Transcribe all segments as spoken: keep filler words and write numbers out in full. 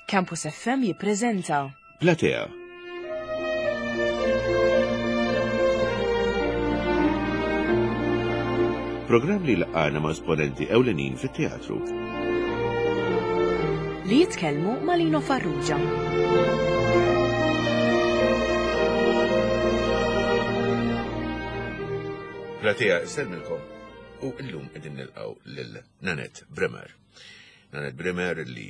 Campus F M jippreżenta Platea. Programm li laqana ma' esponenti ewlenin fit-teatru. Li jitkellmu ma' Lino Farrugia. Platea, sellmilkom. U illum qegħdin nilqgħu lil Nanette Bremer. Nanette Bremer li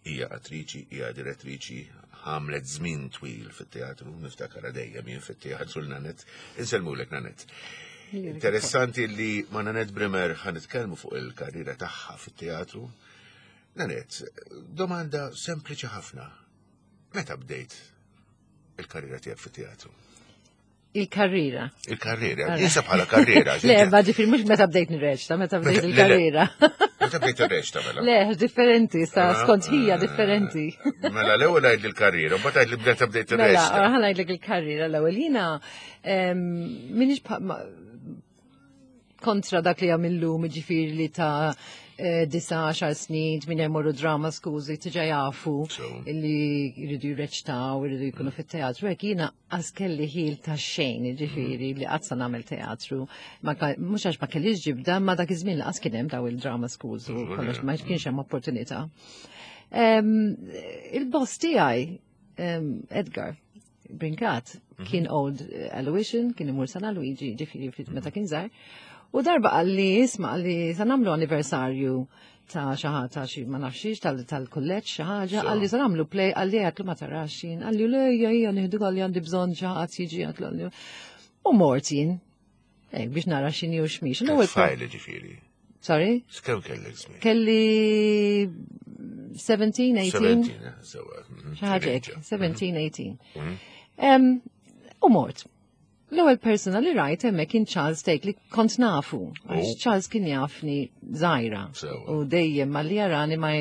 hija attriċi, hija direttriċi, għamlet żmien twil fit-teatru, niftakar dejjem jien fit-teatru l-Nanette. Insellmulek, Nanette. Interessanti li ma' Nanette Bremer ħa nitkellmu fuq il-karriera tagħha fit-teatru. Nanette, domanda sempliċi ħafna. Meta bdejt il-karriera tiegħek fit-teatru? Il-karriera. Il-karriera, jinsa bħala karriera. Le, ma ġifieri mhux meta bdejt nirreċta, meta bdejt Le, le. il-karriera. Meta bdejt ir-reċta mela? Le, differenti, sa Ah, skont hija ah, differenti. Mela l-ewwel għid il-karriera, mbagħad għid li meta bdejt Mela, ir-reċta. ħa ngħidlek il-karriera l-ewwel. Jiena em, minix pa- ma- kontra dak li għamillu, ġifieri li ta' eh, disa għaxar snin, minn jmorru drama schools, tiġa jafu So. li jridu jirreċtaw, jridu jkunu fit-teatru. Hekk jiena għax kelli ħil ta' xejn, ġifieri li qatt sa nagħmel teatru. Ma ka- Mhux għax ma kellix ġibda, ma dak iż-żmien lanqas kien hemm daw il-drama schools u kollox, ma kienx hemm opportunità. Em, Il-boss tiegħi, em, Edgar Brincat, kien old Aloysian, kien imur San Luigi, ġifieri fit- meta kien żgħar. U darba qalli, isma', qalli sa nagħmlu anniversarju ta' xi ħaġa ta' xi ma nafxiex tal-kulleġġ xi ħaġa, So. qalli sa nagħmlu play, qalli għedtlu ma tarax jien, qalli le ejja ejja nieħdu, qalli għandi bżonn xi ħadd jiġi, għedtlu qalli. U mort jien. Hekk biex nara x'inhi u x'mhix. L-ewwel Tfajli ġifieri. Sorry? X'kemm kellek żmien? Kelli seventeen, eighteen. seventeen, eh, sewa. mhm, Xi ħaġa hekk, teenager. seventeen, eighteen. Mhm. Em, U mort. L-ewwel persona li rajt hemmhekk kien Charles Take li kont nafu. Għax Oh. Charles kien jafni żgħira. Sewa. U dejjem malli jarani ma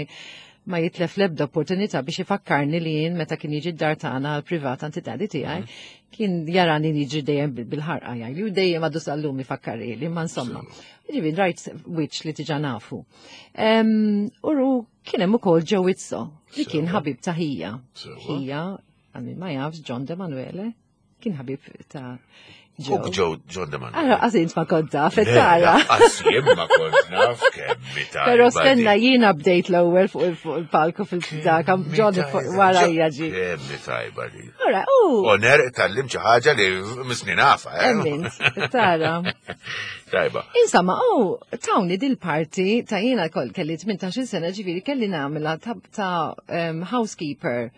ma jitlef l-ebda opportunità biex ifakkarni li jien meta kien jiġi d-dar tagħna għal privat għand id-daddy tiegħi, kien jarani jiġi dejjem bil- bil-ħarqa jgħid, u dejjem għadu sal-lum ifakkarli, ma insomma. Ġifieri rajt wiċċ li tiġa nafu. Em, Uru kien hemm ukoll Joe Izzo li kien Sewa. ħabib ta' ħija. Sewa. Ħija, għal min ma jafx, John De Manuele, kien ħabib ta' Joe. Uk Joe John De Manuele. Ara, għax int ma kont taf, tara. Għax jien ma kont naf kemm tajba. Pero stenna, di. jiena bdejt l-ewwel fuq il- fuq il-palku fil-dak, John fuq wara jaġi. Kemm tajba di. Ora, u, Oner tallim xi ħaġa li misni nafa, eh? Emmint, tara. Tajba. Insomma, u, tawni dil-parti ta' jiena kol kelli tmintax-il sena, ġifieri kelli nagħmilha ta', ta um, housekeeper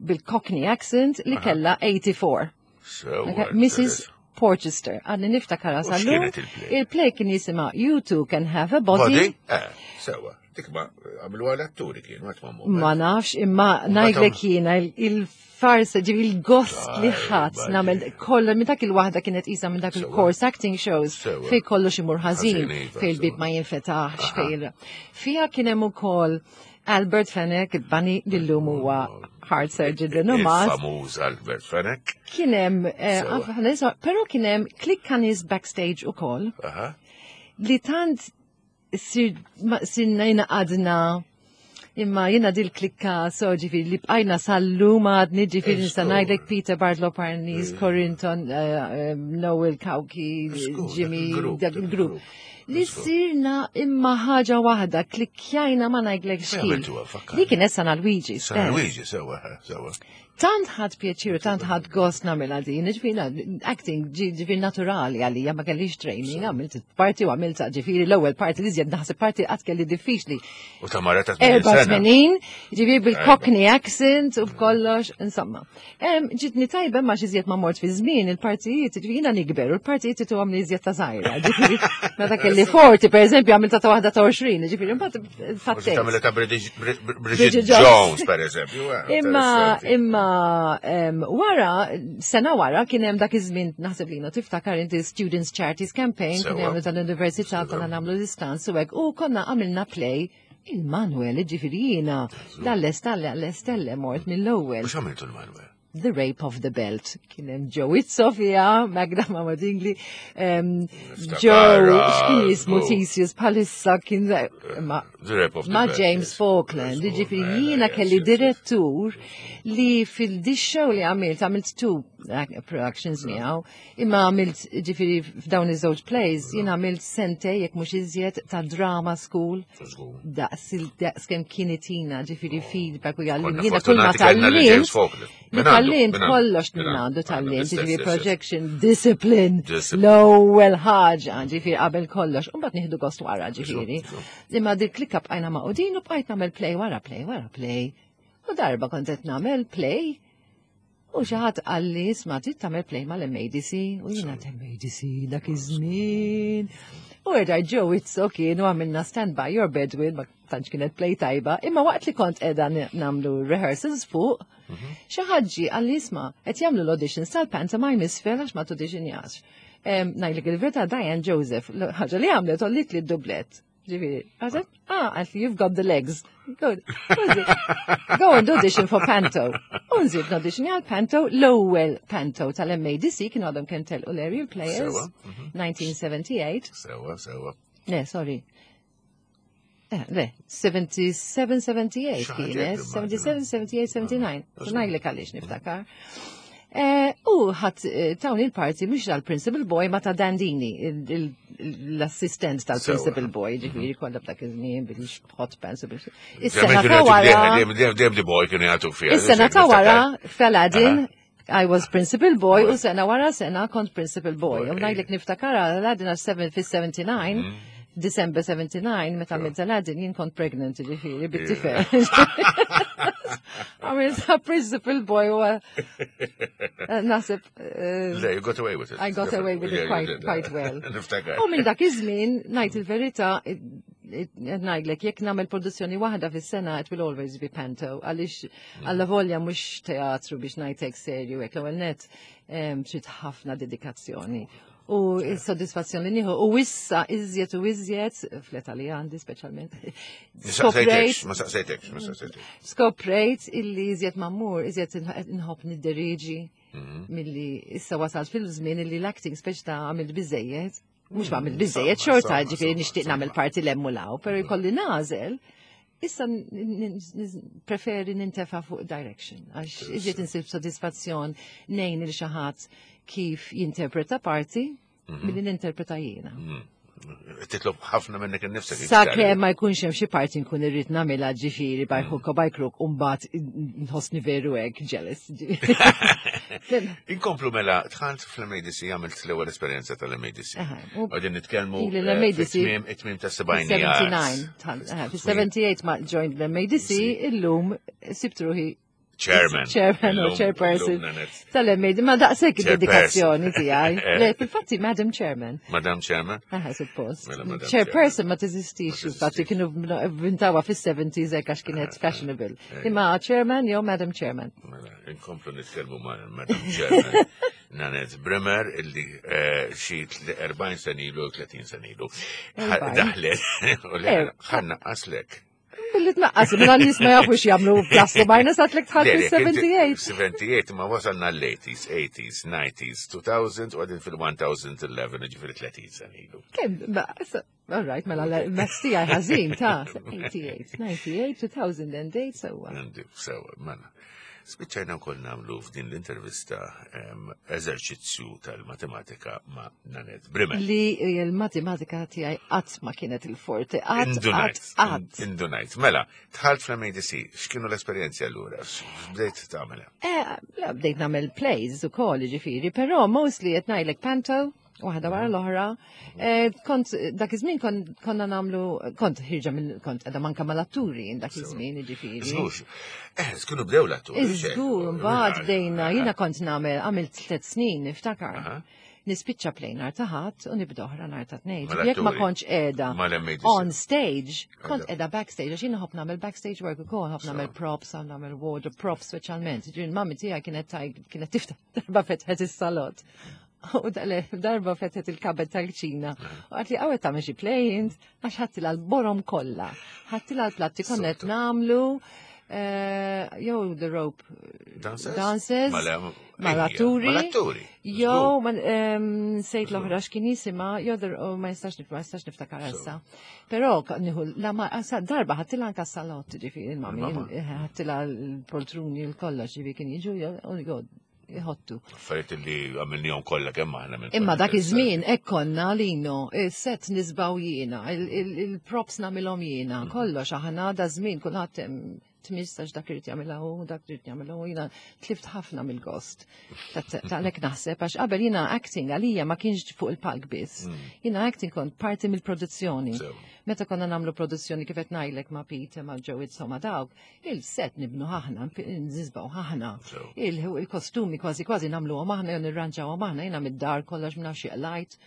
bil-Cockney accent li kella eighty-four. Sewa. Okay, Missus Porchester, għadni niftakara U sal-lum. x'kienet il-play? Il-play kien jisimha You Two Can Have a Body. Body? Eh, sewa. Dik ma għamlu għal atturi kien, ma tmammu. Ma nafx, imma ngħidlek jiena il- il-farsa, ġifieri il-gost li ħadd Tajba nagħmel di. kollha minn dak il-waħda kienet isa minn dak Sewa. il-course acting shows Sewa. fej kollox imur ħażin, Ħażin, iva, fej il-bib sewa. ma jinfetaħx, fej il- Fija kien hemm ukoll Albert Fenech, il-bani li llum huwa heart surgeon renomat. Il-famuż Albert Fenech. Kien hemm, eh, Sewa. għaf- ħa però kien hemm klikka nies backstage ukoll Aha. li tant sir, ma, sirna jina għadna imma jina dil klikka so ġifieri li bqajna sal-lum għadni, ġifieri nista' Żgur. ngħidlek Peter Bartolo Parnis, Corinton, uh, um, Noel Kauki, Żgur, Jimmy, dak il-grupp, dak dak il-grupp. il-grupp. Li Żgur. sirna imma ħaġa waħda, klikkjajna ma ngħidlek Fejn xkif. għamiltuha, fakkarni? Li kien San Luigi San stess. Luigi, sewa, sewa. Tant ħadt pjaċir u tant ħadt gost nagħmilha din, ġifieri acting ġi- ġifieri naturali għalija, ma kellix training, għamilt parti u għamilt ġifieri l-ewwel parti li żjed naħseb parti qatt kelli diffiċli. U ta' mara ta' tmenin sena. eighty-four, ġifieri bil-Cockney accent u b'kollox, insomma. Em, Ġitni tajba ma xi ma mort fi żmien il-partijiet, ġifieri jiena nikber u l-partijiet tu għamli iżjed ta' żgħira. Ġifieri meta kelli forty, per eżempju, għamilta ta' waħda ta' għoxrin, ġifieri mbagħad Forsi fattejt. tagħmilha ta' British- Bri- Bri- Bridget Bridget Jones. Jones, per eżempju. eh, Imma, interessanti. imma em, wara, sena wara, kien hemm dak iż-żmien, naħseb li tiftakar inti, Students Charities Campaign, kien Sewa. hemm tal-università konna nagħmlu l-istanz u hekk, u konna għamilna play il-Manuel, ġifieri jiena, dal-Estelle, għall-Estelle mort mill-ewwel. Mhux għamiltu l-Manuel? The Rape of the Belt. Kien hemm Joe Izzo fiha, Magda Mama Dingli, um, Joe, x'kien jismu Theseus bħalissa kien ma, The Rape of the ma Belt, James yes. Falkland. Yes, Ġifieri mela, jiena yes, kelli yes, yes. direttur li fil-dis show li għamilt, għamilt two uh, productions miegħu, imma għamilt ġifieri f'dawn iż-żewġ plays, jiena għamilt sentejn jekk mhux iżjed ta' drama school Żgur. daqs il-daqs kemm kien itina, ġifieri feedback u jgħallim. Konna Jiena kull ma fortunati kellna lil James tgħallimt, Falkland. Minn għandu, tgħallimt minn għandu, kollox minn minn għandu għandu, tgħallimt, l-istess, ġifieri yes, yes. projection, discipline, Discipline. l-ewwel ħaġa, ġifieri qabel kollox, u mbagħad nieħdu gost wara, ġifieri. Żgur, Imma dik klikka bqajna magħqudin u bqajt nagħmel play wara play wara play. U darba kont qed nagħmel play u xi ħadd qalli isma' trid tagħmel play mal-MADC u jiena MADC dak iż-żmien. U erġa' Joe Izzo kienu għamilna Stand By Your Bed with, ma tantx kienet play tajba, imma waqt li kont qiegħda nagħmlu rehearsals fuq, xi ħadd ġie qalli isma' qed jagħmlu l-auditions tal-pantomime isfel għax ma tauditionjax. Ngħidlek il-verità Diane Joseph, ħaġa li għamlet għolliet li d-dublett. Ġifieri, għazet, ah, għalt you've got the legs. Good. Go and audition for Panto. Unżib audition għal Panto, l-ewwel Panto tal-MADC kienu għadhom kemm telqu l-Aerial Players, Sewa, mhm. nineteen seventy-eight. Sewa, sewa. Le, sorry. Eh, le, sebgħa u sebgħin, sebgħa u sebgħin Xi ħaġa kienet, hekk. sebgħa u sebgħin, sebgħa u sebgħin, sebgħa u sebgħin. Żgur. Ngħidlek għaliex niftakar. Eh, U ħadd eh, tawni l-parti mhux tal-principal boy ma ta' Dandini, il- il- l-assistent tal-principal Sewa. boy, ġifieri kollha b'dak iż-żmien bil-hot pants u bil. Is-sena ta' Dejjem wara. dejjem dejjem di boy kienu jagħtu fiha. Is-sena ta' wara f'Aladdin I was principal boy u sena wara sena kont principal boy. U Boy. ngħidlek niftakar Aladdin għax seven fis-sebgħa u sebgħin, December seventy-nine, meta għamilt Aladdin jien kont pregnant ġifieri bit-tifel. Għamilt principal boy u naħseb eh, Le, you got away with it. I got away with Yeah, it you quite, did. quite well. Niftakar. U minn dak iż-żmien, ngħid il-verità, ngħidlek jekk nagħmel produzzjoni waħda fis-sena, it will always be panto, għaliex alla volja mhux teatru biex ngħidlek serju hekk l-ewwel net em, trid ħafna dedikazzjoni. U s-soddisfazzjoni nieħu u issa iżjed u iżjed fl-età li għandi speċjalment. Saqsejtekx, ma saqsejtekx, ma saqsejtekx. Skoprejt illi iżjed ma mmur, iżjed nħobb nidderieġi Mhm. milli issa wasalt fil-żmien illi l-acting speċ ta' għamilt biżejjed. Mhux ma għamilt Insomma, biżejjed xorta, insomma, ġifieri insomma, nixtieq nagħmel insomma. parti lemmu law, pero jkolli nagħżel. Issa n- n- n- preferi nintefa fuq direction, għax iżjed insib sodisfazzjon ngħin lil xi ħadd kif jinterpreta parti milli ninterpreta jiena. Titlob ħafna minnek innifsek. Sakemm ma jkunx hemm xi parti nkun irrid nagħmilha ġifieri by hook or by crook u mbagħad nħossni veru hekk jealous. Inkomplu mela, dħalt fl-M A D C, għamilt l-ewwel esperjenza tal-M A D C. Aha, u- Għadin nitkellmu Ili eh, l-M A D C fit-tmiem it-tmiem ta' sebgħinijiet. sebgħa u sebgħin, fis-sebgħa u sebgħin ma joined l-M A D C, illum sibt ruħi Chairman. Chairman u Illum- chairperson illum Nanette. tal-M A D C, ma daqshekk Chairperson. dedikazzjoni tiegħi. Eh. Le, fil-fatti Madam Chairman. Madam Chairman. Aha, suppost. Mela, Madam Chairperson ma teżistix, Ma infatti teżistix. kienu vvintawa fis-seventies hekk għax kienet fashionable. Imma Chairman jew Madam Chairman. Mela, inkomplu nitkellmu ma' Madam Chairman Nanette Bremer illi eh, xi erbgħin sena ilu, tletin sena ilu. Erbgħin. Daħlet, u li Er. ħa nnaqqaslek. Billi tnaqqas, mela n-nies ma jafux jagħmlu plus u minus għedtlek dħalt fis-sebgħa u sebgħin. sebgħa u sebgħin ma wasalna l-eighties, eighties, nineties, two thousand u għadin fil-elfejn u għaxra, ġifieri tletin sena ilu. Kemm, ma, so- all right, mela l-maths tiegħi ħażin ta' eighty-eight, ninety-eight, two thousand eight, sewwa. Għandi, sewa, mela. Spiċċajna wkoll nagħmlu f'din l-intervista em, eżerċizzju tal-matematika ma' Nanette Bremer. Li l-matematika tiegħi qatt ma kienet il-forte, qatt, qatt, Indunajt, qatt. indunajt. Mela, dħalt fl-M A D C, x'kienu l-esperjenzi allura? X'bdejt tagħmel? Eh, la, bdejt nagħmel plays u koll, ġifieri, però mostly qed ngħidlek panto, waħda wara l-oħra. Eh, Kont, dak iż-żmien kon- konna nagħmlu, kont ħierġa minn, kont qiegħda manka mal-atturi dak iż-żmien, ġifieri. Żgur. Eh, kienu bdew l-atturi. Iżgur, mbagħad bdejna, jiena kont nagħmel, għamilt tliet snin, niftakar. Aha. Nispiċċa play nhar ta' Ħadd u nibda oħra nhar ta' Tnejn. Mal-atturi. Jekk ma kontx qiegħda Mal-M A D C. on stage, kont Qiegħda. qiegħda backstage, għax jiena nħobb nagħmel backstage work ukoll, nħobb nagħmel props, nħobb nagħmel wardrobe props speċjalment. Ġifieri mami tiegħi kienet taj- kienet tiftaħ darba fetħet is-salott. U dale- darba fetħet il-cupboard tal-kċina. U qaltli għawet tagħmel xi play għax ħadtilha l-borom kollha. Ħadtilha l-platti konna qed nagħmlu. eh, jew The Rope Dancers? Dances, Mal- mal-atturi. Mal-atturi. Jew, ma- em, sejt l-oħra x'kien jisimha, jew The- oh, ma jistax nif- ma jistax niftakar issa. Però ka- nieħu la ma sa darba ħadtilha anka s-salott, ġifieri il-mami, Il-mama. ħadtilha l-poltruni l-kollox, ġifieri kien jiġu jew jħottu. Affarijiet li għamilnihom kollha kemm aħna minn. Imma dak iż-żmien hekk konna lino, is-set nisbaw jiena, il- il- il-props nagħmilhom jiena, kollox aħna da żmien kulħadd em, tmistax dak irid jagħmilha hu, dak irid jagħmilha hu, jiena tlift ħafna mill-gost. Ta' ta' lek naħseb għax qabel jiena acting għalija ma kienx fuq il-palk biss. Jiena acting kont parti mill-produzzjoni. Sew. Meta konna nagħmlu produzzjoni kif qed ngħidlek ma' Peter, ma' Joe insomma dawk, il-set nibnu aħna, nżisbaw aħna. Sew. Il- Il-kostumi kważi kważi nagħmluhom aħna jew nirranġawhom aħna jiena mid-dar kollox minn xi light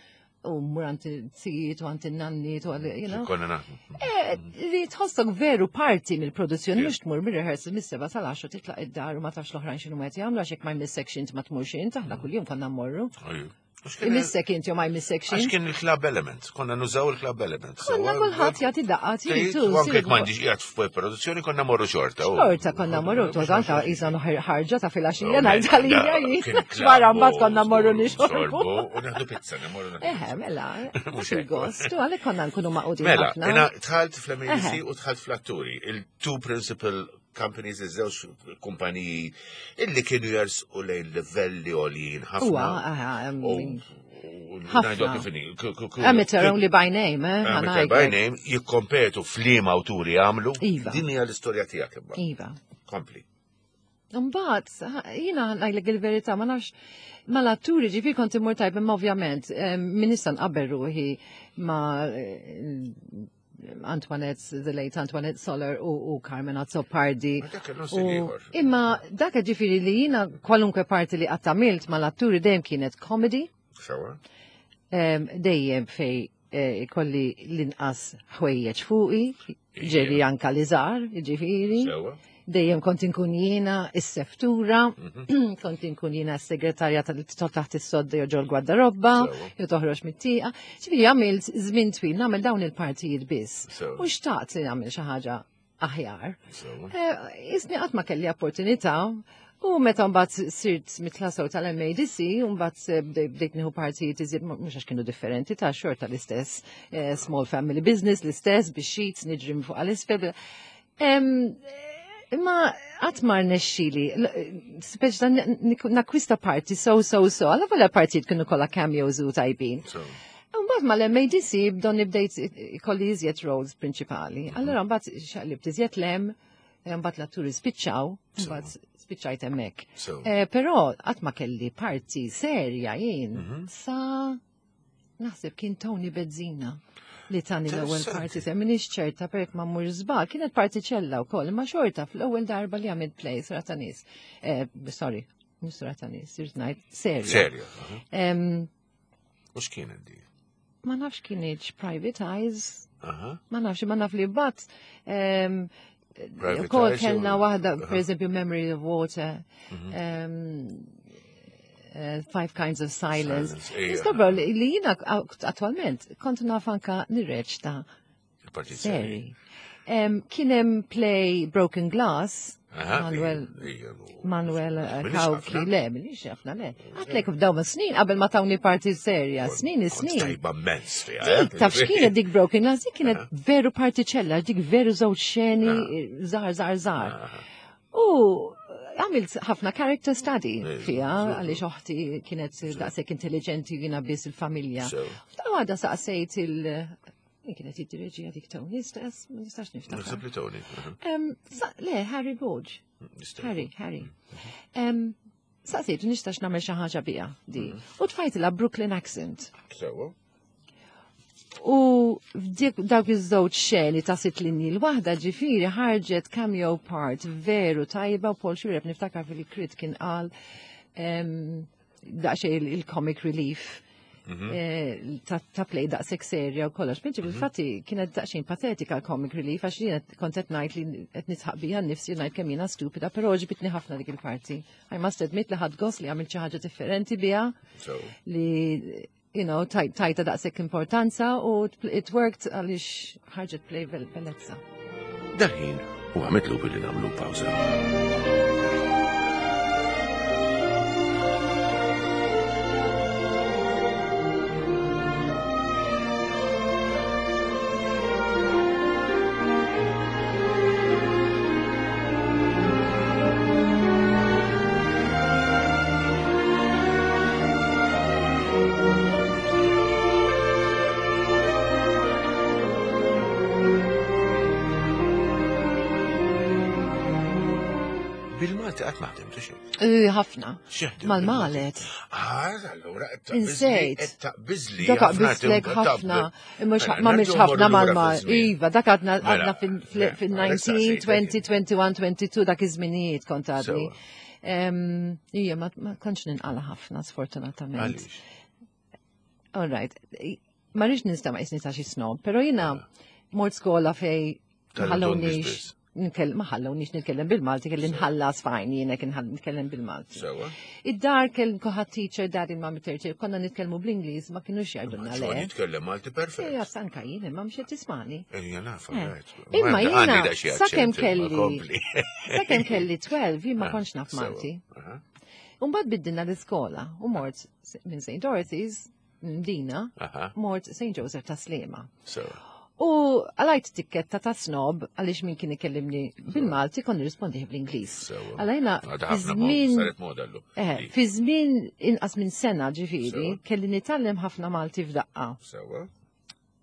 u mmur għand it-zijiet u għand in-nanniet u għal- you know. Konna naħdmu. Eh, Li tħossok veru parti mill-produzzjoni, Yeah. mhux tmur mir-rehearsal mis-seba sal-għaxra titlaq id-dar u ma tafx l-oħrajn x'inhu qed jagħmlu għax jekk ma jmissekx int ma tmurx int, aħna kuljum konna mmorru. Ajju. Għax kien- Imissek inti u ma jmissek Għax int. kien il-club element, konna nużaw il-club element. Konna kulħadd jagħti daqqa titu. U anke jekk m'għandix qiegħed f'produzzjoni konna morru xorta. u- Xorta konna morru, tu anka isa ħarġa ta' filgħaxija Oh, ngħid għalija da, jien. kien club Wara mbagħad u konna morru nixorbu nixorbu. U naħdu pizza, namorru naħdu Eħe, mela, Mhux hekk. il-gost, u għalhekk konna nkunu maqudin Mela, ħafna. jena dħalt fl-MADC Eħe. u dħalt fl-atturi, il-two principal companies, iż-żewġ kumpaniji illi kienu jersqu lejn livelli għoljin ħafna. Huwa, aha, em, U- u- ħafna. ngħidu kif inhi, k- k- k- Amateur only by name, eh? Amateur by name, jikkompetu f'liema awturi għamlu. Iva. Din hija l-istorja tiegħek imma. Iva. Kompli. Mbagħad, jiena ngħidlek il-verità, ma nafx mal-atturi ġifieri kont immur tajb, imma ovvjament, em, min nista' nqabbel ruħi ma' eh, Antoinette, the late Antoinette Soler u, u Carmen Azzopardi. Ma dak kellu U- stil ieħor. Imma dak ġifieri li jiena kwalunkwe parti li qatt għamilt mal-atturi dejjem kienet comedy, Sewa? em, dejjem fej eh, ikolli l-inqas ħwejjeġ fuqi, ġeri anka li żgħar, ġifieri. Sewa? Dejjem kont inkun jiena is-seftura, Mhm. kont inkun jiena s-segretarja tal taħt is-sodda jew ġol gwardarobba, Sewa. jew toħroġ mit-tieqa. Ġifieri għamilt żmien twil nagħmel dawn il-partijiet biss. Sewa. U xtaqt li nagħmel xi ħaġa aħjar. Sewa. Eh, Isni qatt ma kelli opportunità u meta mbagħad sirt mitlasow tal-MADC u mbagħad eh, bdej- bdejt nieħu partijiet iżjed mhux għax kienu differenti ta' xorta l-istess eh, small family business l-istess bix sheets niġri minn fuq għal-isfel. Em, Imma qatt ma rnexxili, speċi ta' nakwista parti so so so, għalla volja partijiet kienu kollha cameos u tajbin. Sewa. Mbagħad mal-MADC bdonni bdejt ikolli iżjed roles prinċipali. Allora mbagħad xaqlibt iżjed lem, mbagħad l-atturi spiċċaw, mbagħad spiċċajt hemmhekk. Sewa. Eh, Però qatt ma kelli parti serja jien Mhm. sa naħseb kien Tony Bezzina li tani l-ewwel Interessanti. parti se minix ċerta perek ma mmur żball, kienet partiċella wkoll, imma xorta fl-ewwel darba li għamilt play Sura ta' nies. Eh, sorry, mhux Sura ta' nies, irrid ngħid serja. Serja. aha. Em, U x'kienet di? ma nafx kienieċ Private Eyes, Aha. ma nafx, ma naf li bat. Um, Private Kol Eyes kellna jew- waħda, Aha. per eżempju, Memory of Water, Mhm. um, uh, Five Kinds of Silence. Silence, ija. Niskopru li li jina attualment kont naf anka nirreċta Il-partit seri. Um, Kien hemm play Broken Glass, Aha, Manuel ija, ija, Manuel eh, Minix Cauchi, ħafna. le, minix ħafna, le. Għatlek f'dawn snin qabel ma tawni parti serja, snin, Kont snin. Tajba immens fiha. Dik, eh? taf x'kienet dik Broken Glass, dik kienet veru partiċella, dik veru żewġ xeni, żgħar, żgħar, żgħar. Aha. U għamilt ħafna character study Eh, fija, żgur. għaliex oħti kienet daqshekk intelligenti jiena biss il-familja. Sew. F'ta' għada saqsejt il- Min kienet jiddireġija dik Tony stess, ma nistax niftakar. Naħseb li Tony. aha. Em, sa- Le, Harry Borg. Nista' Harry, Harry. Em, Saqsejtu nistax nagħmel xi ħaġa biha di. U tfajtilha Brooklyn accent. Sewa. U f'dik dawk iż-żewġ xeni ta' sitt linji l-waħda ġifieri ħarġet cameo part veru tajba u Paul Xuereb niftakar fil-crit kien qal em, daqsxejn il- il-comic relief eh, ta' ta' play daqshekk serja u kollox. Mentri fil-fatti kienet daqsxejn patetika l-comic relief għax jiena kont qed ngħid li qed nidħaq bija nnifsi u ngħid kemm jiena stupida, però għoġbitni ħafna dik il-parti. I must admit li ħadt gost li għamilt xi ħaġa differenti biha Sew. li you know, taj- tajta daqshekk importanza u it worked għaliex ħarġet play bel- bellezza. Dal-ħin U għamitlu billi nagħmlu pawża. Bil-Malti qatt ma ħdimtu xejn. Eh, Ħafna. X'ħdimt Mal-malet. Ah, allura qed Insejt. Qed taqbiżli. Dak aqbiżlek ħafna. Imma Mela, ma mhix ħafna mal-mal. Iva, dak għadna Mela, għadna fil-nineteen, twenty, twenty-one, twenty-two, dak iż-żminijiet kont għadni. Sewa. Ija, ma ma kontx ninqala ħafna, sfortunatament. Għaliex? All right. Ma rridx nista' ma jisni ta' xi snob, però jiena mort skola fej ma Tal-English ħallewniex biss. nkell- ma ħallewniex nitkellem bil-Malti, kelli nħallas fajn jiena kien ħall- nitkellem bil-Malti. Sewa. Id-dar kell kuħat teacher, daddy, mami teacher, konna nitkellmu bl-Ingliż, ma kienux jgħidulna Ġon le. jitkellem Malti perfett. Ejja, sanka jien, imma mhux qed tismani. Ejja nafa, Eh. right. Imma Ma jiena, għandi da xi sakemm accent, imma kelli- kompli. Sakemm kelli tnax, jien ma Ah, kontx naf sewa. Malti. Aha, Umbagħad biddilna l-iskola u mort minn Saint Dorothy's, Mdina, aha, mort Saint Joseph ta' Sliema. sewa. U għalajt tikketta ta' snob għaliex min kien ikellimni bil-Malti kon nirrispondi bl-Ingliż. Sewa. Għalajna Għadha fi ħafna mod, żmien saret moda llum. eh, Li. fi żmien inqas minn sena ġifieri Sewa. kelli nitgħallem ħafna Malti f'daqqa. Sewa.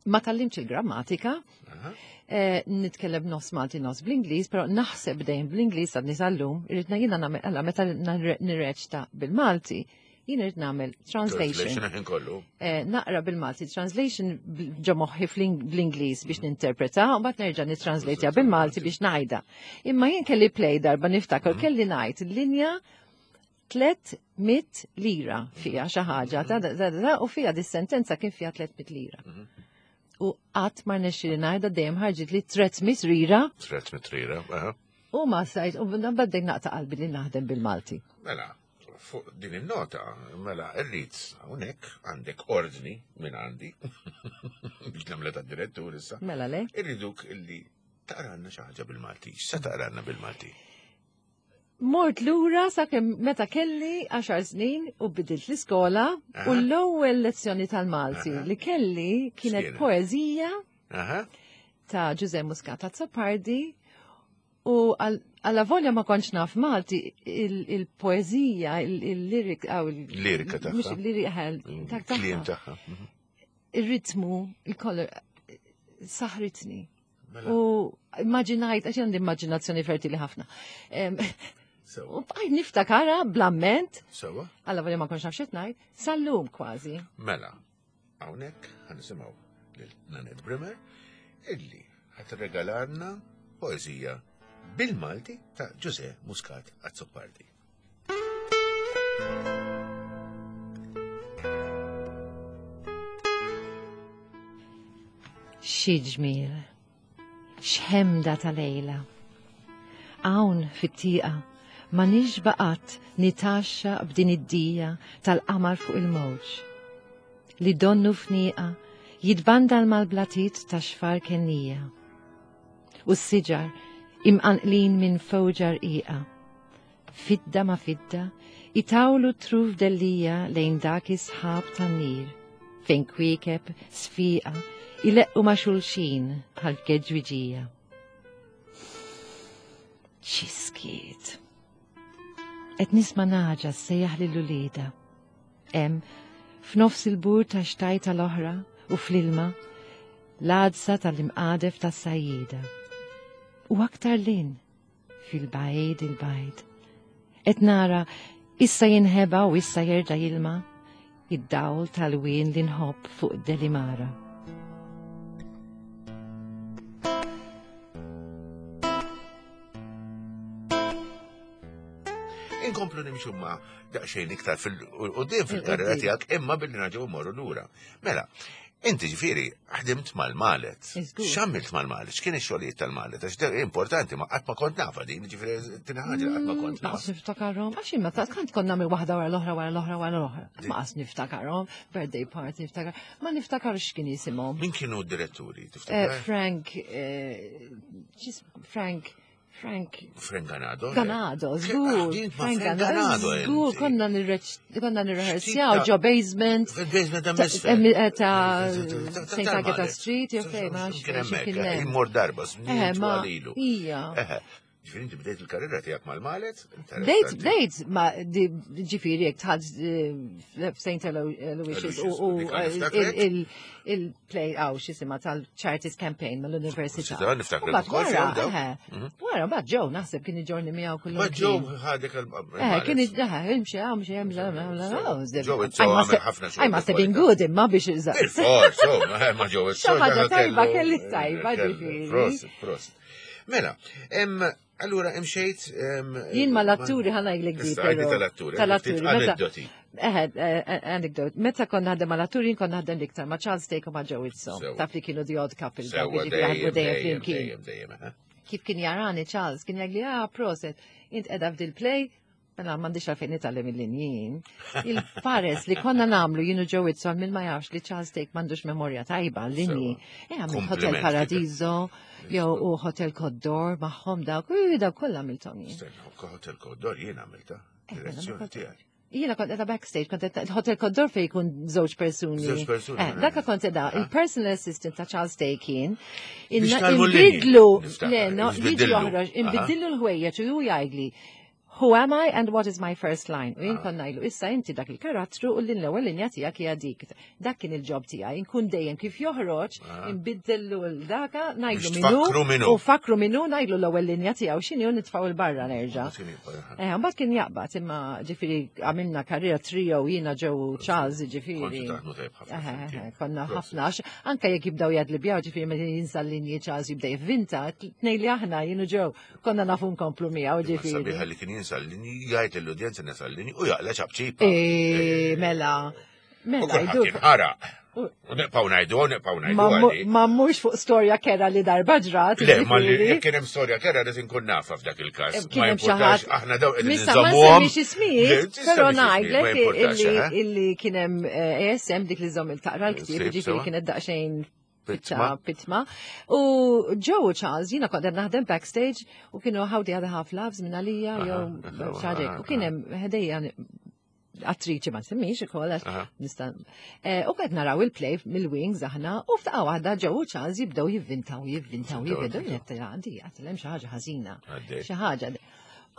Ma tallimx il-grammatika, Aha. eh, nitkellem nofs Malti nofs bl-Ingliż, però naħseb dejjem bl-Ingliż għadni sal-lum, irrid jiena nagħmel alla meta nirreċta bil-Malti, jien irrid nagħmel translation. Translation ħin kollu. Eh, naqra bil-Malti translation bl- ġo moħħi fl- bl-Ingliż biex ninterpreta, u mbagħad nerġa' nitranslateja bil-Malti biex ngħidha. Imma jien kelli play darba niftakar kelli ngħid linja tliet mitt lira fija xi ħaġa ta' da- da- da- u fija dis-sentenza kien fija tliet mitt lira. U qatt ma rnexxieli ngħidha dejjem ħarġit li tliet mitt lira Tret mitrira. Aha. u ma stajt u baddejt naqta' qalbi li naħdem bil-Malti. Mela, fuq din il-nota, mela, irrid hawnhekk għandek ordni minn għandi biex nagħmlu tad-direttur issa. Mela le? Irriduk illi taqranna xi ħaġa bil-Malti. X'se taqranna bil-Malti? Mort lura sakemm meta kelli għaxar snin u bidilt l-iskola u Aha. l-ewwel lezzjoni tal-Malti Aha. li kelli kienet X'kienet? poeżija Aha. ta' Ġuże Muscat Azzopardi u għal volja ma kontx naf Malti il- il-poeżija, il-lirik, għaw il- Lirika tagħha. mhux il-lirika, ta' Kliem tagħha. tagħha. Mhm. Ir-ritmu, il-kolor, saħritni. Mela, U immaġinajt, għax għandi immaġinazzjoni fertili ħafna. Em, Sewa. U bqajt niftakara bl-amment, Sewa. għalla volja ma kontx naf x'qed ngħid, sal-lum kważi. Mela, hawnhekk ħa nisimgħu lil Nanette Bremer illi ħa tirregalalna poeżija bil-Malti ta' Ġuże Muscat Azzopardi. Xi ġmiel, x'ħemda ta' lejla. Hawn fit-tieqa ma nixbaqat nitaxxa b'din id-dija tal-qamar fuq il-mowġ. Li donnu fnieqa jitbandal mal-blatit ta' xfar kennija. U s-siġar imqanqlin minn fowġar iqa. Fidda ma fidda, itawlu truf dellija lejn dak is-sħab tan-nir, fejn kwiekeb sfiqa ileqqu ma' xulxin bħal geġwiġija. Xi skiet. Qed nisma' naġa ssejjaħ lil ulieda. Hemm f'nofs il-bur ta' xtajta l-oħra u fl-ilma l-għadsa tal-imqadef tas-sajjida. U aktar lin fil-bajd il-bajd. Qed nara issa jinħeba u issa jerġa' jilma id-dawl tal-wien li nħobb fuq Delimara. Inkomplu nimxu ma daqsxejn iktar fil-qudiem fil-karriera tiegħek imma billi nerġgħu mmorru lura. Mela, inti ġifieri ħdimt mal-Malet. Iżgur. X'għamilt mal-Malet? X'kien ix-xogħlijiet tal-Malet? Għax dak importanti ma qatt ma kont nafa din, ġifieri tina ħaġa qatt ma kont Ma naf. qas niftakarhom, għax imma ta' kant konna nagħmel waħda wara l-oħra wara l-oħra wara l-oħra. Ma qas niftakarhom, birthday party niftakar, ma niftakar x'kien jisimhom. Min kienu d-diretturi, Eh, tiftakar? Frank, eh, x'is- Frank Frank Frank Ganado. Ganado, żgur. Ħdimt ma' Frank Ganado. Żgur, konna konna nirrehearsjaw ġo basement. Fil-basement ta' eh, Ta' Saint Agatha Street, jew fejn ma Kien hemmhekk, immur darba, Eh, ma ija. Ġifieri inti bdejt il-karriera tiegħek mal-Malet? Bdejt, bdejt, ma ġifieri jekk tħad f'Saint Aloysius u il-play għaw xisima tal-Charities Campaign mal-Università. Niftakar Wara, wara, mbagħad Joe naħseb kien iġorni miegħu kullu. Ma Joe ħadek il Eh, kien eh, imxi hawn, imxi hemm, Joe għamel ħafna I must have been good imma biex iżgħar. Il-fors, ma Joe Xi ħaġa tajba kelli tajba ġifieri. Prosit, prosit. Mela, allura imxejt. Jien ma l-atturi ħa ngħidlek di. Tal-atturi. Tal-atturi. Aneddoti. Eħe, anecdote. Meta konna naħdem mal-atturi, jien konna naħdem l-iktar ma' Charles Stake u ma' Joe Izzo. Taf li kienu the odd couple. Dejjem, dejjem, dejjem. Kif kien jarani Charles, kien jgħidli, ah, proset, int edha f'dil play, mela m'għandix għalfejn nitgħallem il-linjin. Il-fares li konna nagħmlu jien u Joe Izzo min ma jafx li Charles Stake m'għandux memorja tajba l-linji. E għamil Hotel Paradiso, jew u Hotel Côte d'Or magħhom dawk, u dawk kollha għamilthom jien. Hotel Côte d'Or jien għamilta, direzzjoni tiegħi. Jiena kont edha backstage, kont edha Hotel Côte d'Or fej jkun żewġ persuni. Żewġ persuni. Eh, daka kont edha, il-personal assistant ta' Charles Stake kien. Inbidlu, le, no, jiġi joħroġ, inbidlu l-ħwejjeġ u jgħidli, who am I and what is my first line? U jien kon ngħidlu, issa inti dak il-karattru u l-ewwel linja tiegħek hija dik. Dak kien il-job tiegħi, inkun dejjem kif joħroġ, inbiddellu l-daka, ngħidlu minnu u fakru minnu, ngħidlu l-ewwel linja tiegħu x'inhi u nitfgħu il-barra nerġa'. Eh, mbagħad kien jaqbad imma ġifieri għamilna karriera trio jiena Joe Charles ġifieri. Konna ħafna għax anke jekk jibdew jadlibjaw ġifieri meta jinsa l-linji Charles jibda jivvinta, tnej li aħna jien u Joe konna nafu nkomplu miegħu ġifieri. Sabiħa li kien jinsa l-linji, jgħid l-udjenza nesa l-linji u jaqla ċapċipa. E, mela. Mela, ħaraq. U nibqgħu ngħidu, nibqgħu ngħidu. Ma mhux fuq storja kera li darba ġrat. Le, ma li jekk kien hemm storja kera rid inkun nafa f'dak il-każ. Kien hemm xi ħadd. Aħna daw qegħdin Missa ma nsemmix ismijiet, però ngħidlek illi kien hemm A S M dik li żomm il-taqra l-ktieb, ġifieri kienet daqsxejn pitma. Pitma. U Joe Charles, jiena kont naħdem backstage u kienu How the Other Half Loves minn għalija, jew xaġek. U kien hemm ħdejja attriċi ma nsemmix ukoll nista'. U qed naraw il-play mill-wings aħna u f'daqqa waħda Joe Charles jibdew jivvintaw, jivvintaw, jivvintaw, għandi għatlem xi ħaġa ħażina. Xi ħaġa.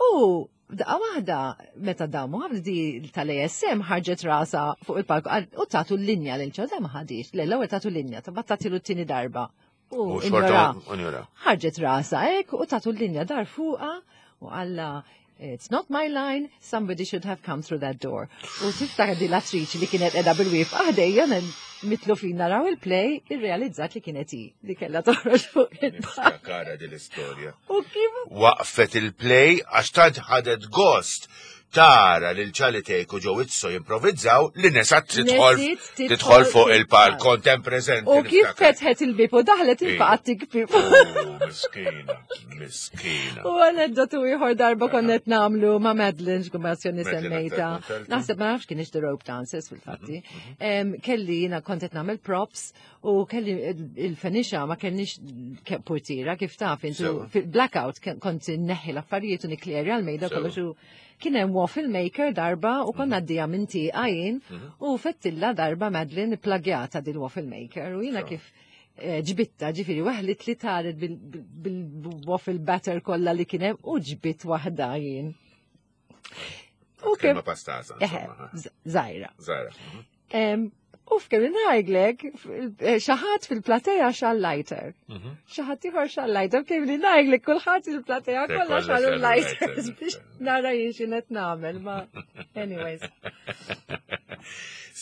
U daqqa waħda meta damu ħafna di tal-A S M ħarġet rasa fuq il-palku u tatu l-linja lil ċoda ma ħadix. Le, l-ewwel tatu l-linja, ta' tatilu t-tieni darba. U ħarġet rasa hekk u tatu l-linja dar fuqa u għalla, "It's not my line, somebody should have come through that door." U tiftakar di l-attriċi li kienet edha bil-wif ħdejja mitlu fin naraw il-play, irrealizzat li kienet hi li kella toħroġ fuq il Kara din l-istorja. U kif? Waqfet il-play għax tant ħadet gost tara lil Charlie Thake u Joe Izzo jimprovizzaw li nesat tidħol tidħol fuq il-palk kontem preżenti. U kif fetħet il-bib u daħlet il-faqat tikbi. Miskina, miskina. U aneddotu ieħor darba konnet nagħmlu ma' Madeline, x'kumbazzjoni semmejta. Naħseb ma nafx kien the rope dancers fil-fatti. Mhm, mhm. Kelli jiena kontet nagħmel props u kelli il-fenisha ma kellix portira kif taf intu fil-blackout kont neħi l-affarijiet u niklerja l-mejda kollox u kien hemm waffle maker darba u konna għaddija minn tieqa jien mhm. u fettilla darba Madeline plagjata dil waffle maker u jiena kif eh, ġbitta ġifieri weħlit li taret bil-waffle batter kollha li kien hemm u ġbit waħda jien. U kemm pastasa. Żgħira. Żgħira. Mhm. U f'kemm ngħidlek, eh, xi ħadd fil-plateja xegħel lighter. Mhm. Xi ħadd ieħor xegħel lighter, kemm li ngħidlek kulħadd il-plateja kollha xegħlu lighters biex nara jien x'inhet nagħmel, ma anyways.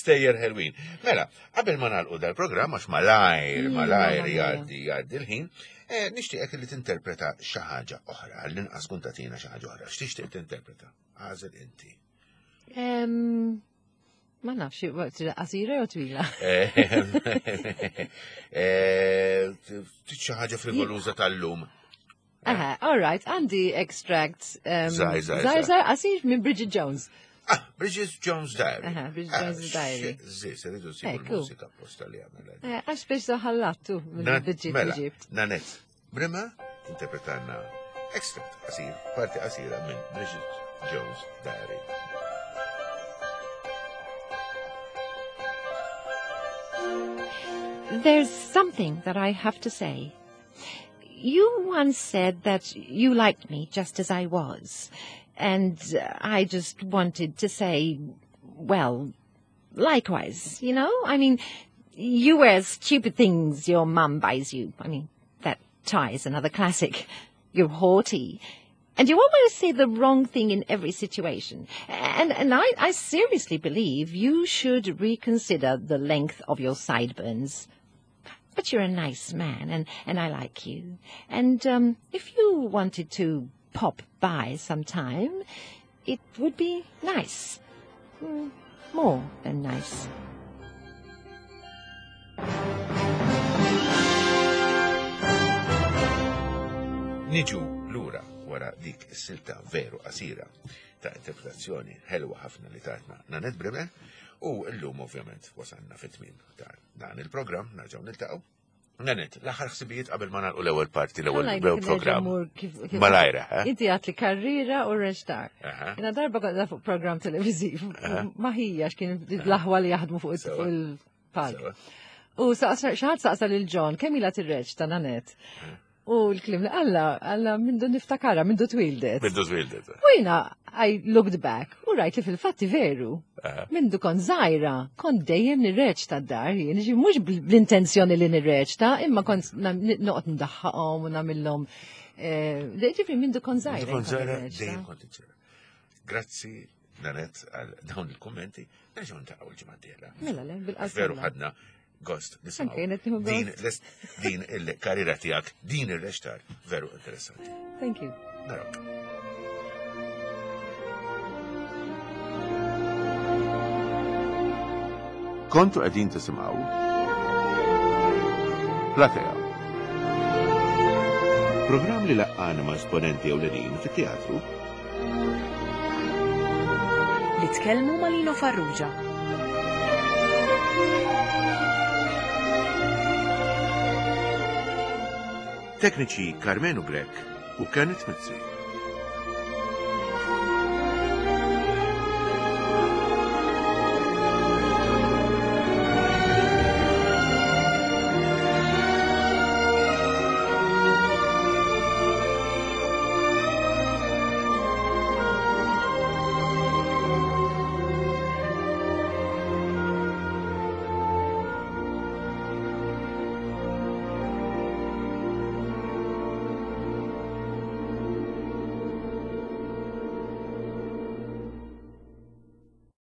Stejjer ħelwin. Mela, qabel ma nagħlqu dal-programm għax malajr, mm, malajr jgħaddi jgħaddi l-ħin, eh, nixtieqek li tinterpreta xi ħaġa oħra, għall-inqas kun tagħtina xi ħaġa oħra. X'tixtieq tinterpreta? Għażel inti. Ma nafx, qasira jew twila? Eh, xi ħaġa frivoluża tal-lum. Aha, all right, għandi extract. Żgħir, żgħir. Żgħir, qasir minn Bridget Jones. Ah, Bridget Jones Diary. Aha, Bridget Jones ah, Diary. Zi, se rridu nsibu l-mużika apposta li għamela. Eh, għax biex daħallattu minn Bridget mela, Egypt. Nanette Bremmer, interpretanna Extract qasir, parti qasira minn Bridget Jones' Diary. There's something that I have to say. You once said that you liked me just as I was, and I just wanted to say, well, likewise, you know? I mean, you wear stupid things your mum buys you. I mean, that tie is another classic. You're haughty. And you almost say the wrong thing in every situation. And, and I, I seriously believe you should reconsider the length of your sideburns. But you're a nice man, and, and I like you. And um, if you wanted to pop by sometime, it would be nice. Mm, more than nice. Niġu lura wara dik is-silta veru qasira ta' interpretazzjoni ħelwa ħafna li tatna Nanette Bremer u llum ovvjament wasalna fit-tmiem ta' dan il-programm nerġgħu niltaqgħu. Nanette, l-aħħar ħsibijiet qabel ma nagħlqu l-ewwel parti l-ewwel programm. Malajra, eh? Inti għat li karriera u reċtar. Jena darba kont fuq programm televiżiv, ma hija x'kien l-aħwa li jaħdmu fuq il-palk. U xi ħadd saqsa lil John kemm ilha tirreċta Nanette? U l-klim li għalla, għalla mindu niftakara, mindu twildet. Mindu twildet. U jina, I looked back, u rajt li fil-fatti veru. Mindu kon zaħira, kon dejjem nirreċta d-dar, jien, ġi mux bl-intenzjoni li nirreċta, imma kon noqgħod ndaħħaqhom u nagħmilhom. Ġifri mindu kon zaħira. Kon zaħira, dejjem kont iċċera. Grazzi, Nanette, għal dawn il-kommenti, nerġgħu ntaqgħu l-ġimgħa d-dieħla. Mela le, bil-qasam. Veru ħadna gost nisimgħu. Din, din il-karriera tiegħek, din ir-reċtar, veru interessanti. Thank you. Narak. Kontu qegħdin tisimgħu Platea. Programm li laqqana ma' esponenti ewlenin fit-teatru. Li tkellmu ma' Lino Farrugia. Tekniċi Carmenu Grech u Kenneth Mizzi.